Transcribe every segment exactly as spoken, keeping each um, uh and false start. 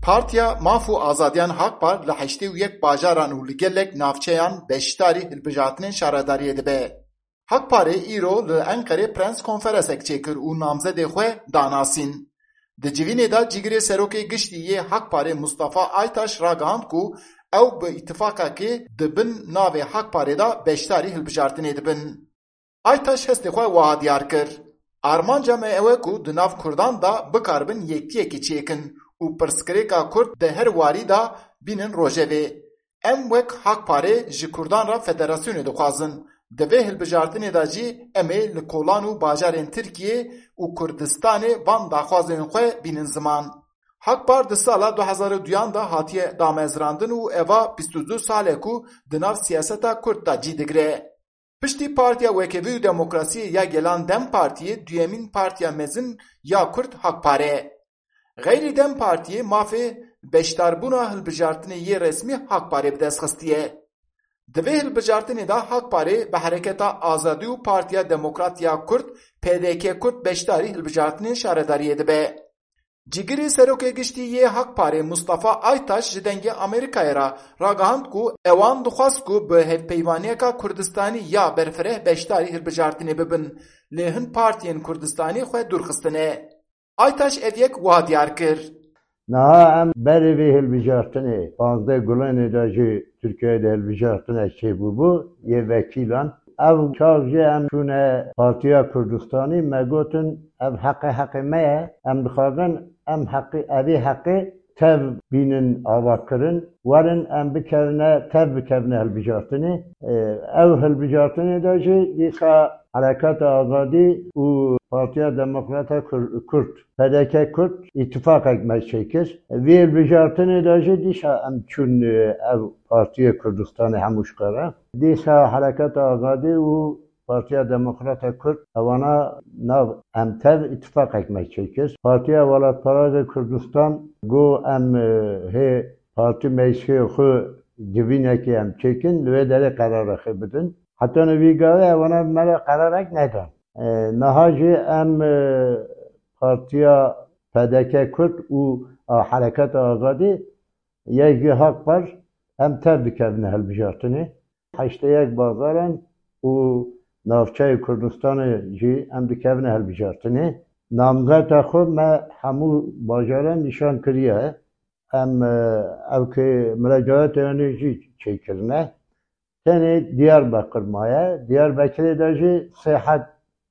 Partiya Maf û Azadiyan Hakpar li heştê û yek bajaran û li gelek navçeyan beşdarî hilbijartinên şaredariyê dibe. Hakparê îro li Enqerê prens konferesek çêkir û namzedê xwe danasîn. Di civînê de cîgirê serokê giştî yê Hakparê Mustafa Aytaş ragihand ku ew bi îtifaqekê di bin navê Hakparê de beşdarî hilbijartinê dibin. Aytaş hestê xwe wiha diyar kir, Armanca me ew e ku di nav Kurdan de bikaribin yekiyekî çêkin û pirsgirêka Kurd di her warî de bînin rojevê. Em wek Hakparê ji Kurdan re federasyonê dixwazin. Di vê hilbijartinê de jî em ê li kolan û bajarên Tirkiyê û Kurdistanê van daxwazên xwe bînin ziman. Hakpar di sala du hezar û duyan de hatiye damezrandin û eva bîst û du sal e ku di nav siyaseta Kurd de cî digire. Piştî Partiya Wekhevî û Demokrasiyê ya Gelan DEM Partiyê duyemîn partiya mezin ya Kurd Hakpar e. Xeyrî DEM Partiyê mafê beşdarbûna hilbijartinê yê resmî Hakparê bi dest xistiye. Di vê hilbijartinê de Hakparê bi Hereketa Azadî û Partiya Demokrat ya Kurd, P D K Kurd, beşdarî hilbijartinên şaredariyê dibe. Cîgirê serokê giştî yê Hakparê Mustafa Aytaş ji Dengê Amerîkayê re ragihand ku ewan dixwest ku bi hevpeyvaniyeka Kurdistanî ya berfireh beşdarî hilbijartinê bibin, lê hin partiyên Kurdistanî xwe dûr xistine. Aytaş ev yek wiha diyar kir. Niha em berê vê hilbijartinê, panzdeh Gulanê de jî Tirkiyeyê de hilbijartinek çêbûbû, yê vekîlan. Ev çax jî em çûne Partiya Kurdistanî, me gotin, ev heqê heqê me ye, em dixwazin em heqê, evê heqê tev bînin avakirin, werin em bikevine, tev bikevine hilbijartinê. Ew hilbijartinê de jî dîsa Hereketa Azadî û Partiya Demokrata Kur-, Kurd, P D K Kurd, îtifaqek me çêkir. Vê hilbijartinê de jî dîsa em çûn, e, ev Partiyê Kurdistanê hemû ji xwe re. Dîsa Hereketa Azadî û Partiya Demokrata Kurd ewana nav em tev îtifaqek me çêkir. Partiya Welatparêza Kurdistan got em, e, hê partî meclisê xwe civînekê em çêkin, li wê derê qerarexê bidin. Heta nivî gavê ewana me re qerarek nedan. E, niha jî em, e, Partiya P D K Kurd û a Hereketa Azadî yek jî Hakpar em tev dikevine hilbijartinê. Heştê yek bazaran û navçeyê Kurdistanê jî em dikevine hilbijartinê. Namzeta xwe me hemû bajaran nîşan kiriye. Em, e, ew ki mirecayeta yanê jî çêkirine. Tenê Diyarbekir maye. Diyarbekirê de jî sê heb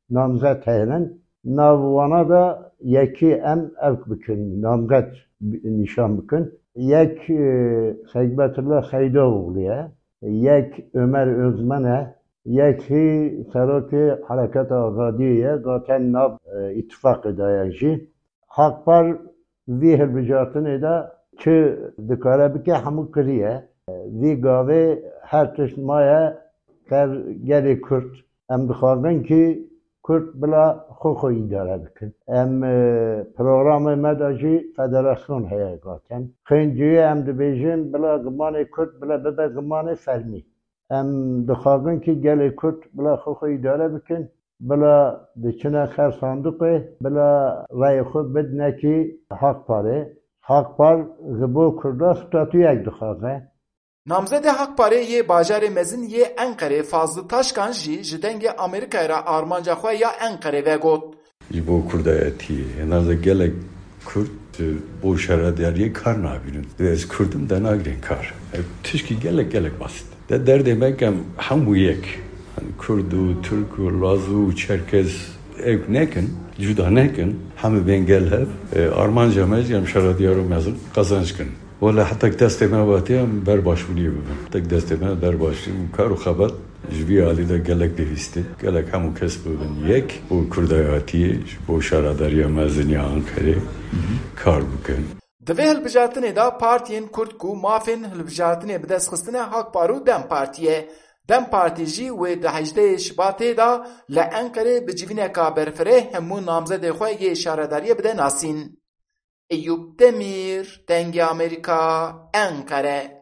namzet hene. Nav wana de yekî em ev bikin, namzet bi-, nîşan bikin. Yek, e, Xeybetullah Xeydoğlu ye. Yek Ömer Özmen e. Yek hî serokê Hereketa Azadiyê ye. Zaten nav, e, îtifaqê de ye jî. Hakpar vî hilbijartinê de çi dikare bike, hemû kiriye. Vî gavê her tişt maye ser gelê Kurd. Em dixwazin kî Kurd bila xwe xwe îdare bikin. Em, e, programê me de jî federasyon heye zaten. Xênciyê em dibêjin bila zimanê Kurd bila bibe zimanê fermî. Em dixwazin ki gelê Kurd bila xwe xwe îdare bikin, bila diçine ser sanduqê, bila rayê xwe bidine ki Hakparê. Hakpar ji bo Kurda statuyek dixwaze. Namzedê Hakparê yê bajarê mezin yê Enqerê Fazlı Taşkan jî ji Dengê Amerîkayê re armanca xwe ya Enqerê vegot. Ji bo kurdayetiyê. Hêna de gelek Kurd, e, bo şaredariyê kar nabînin. Divê ez Kurd im de nagrên kar. Ev tişkî gelek, gelek basit. De derdê me kem hemû yek. Hani Kurd û Tirk û Laz û Çerkez ew nekin, cuda nekin. Hemî bên gel hev. E, armanca me jî em şarediyar û mezin qezenc kin. Wele hetek destê me vatiye em ber başbûniyê bibin. Hetek destê me ber başbûniyê bû. Kar û xebat ji vî alî de gelek pêwîst e. Gelek hemû kes bibin yek bo kurdayatiyê, ji bo şaredariya mezin ya Ankarê kar bikin. Di vê hilbijartinê de partiyên Kurd ku mafên hilbijartinê bi dest xistine Hakpar û DEM Partî ye. DEM Partî jî wê di hejdehê Şibatê de li Enqerê bi civîneka berfireh hemû namzedê xwe yê şaredariyê bide nasîn. Eyûp Demîr, Dengê Amerîka, Enqere.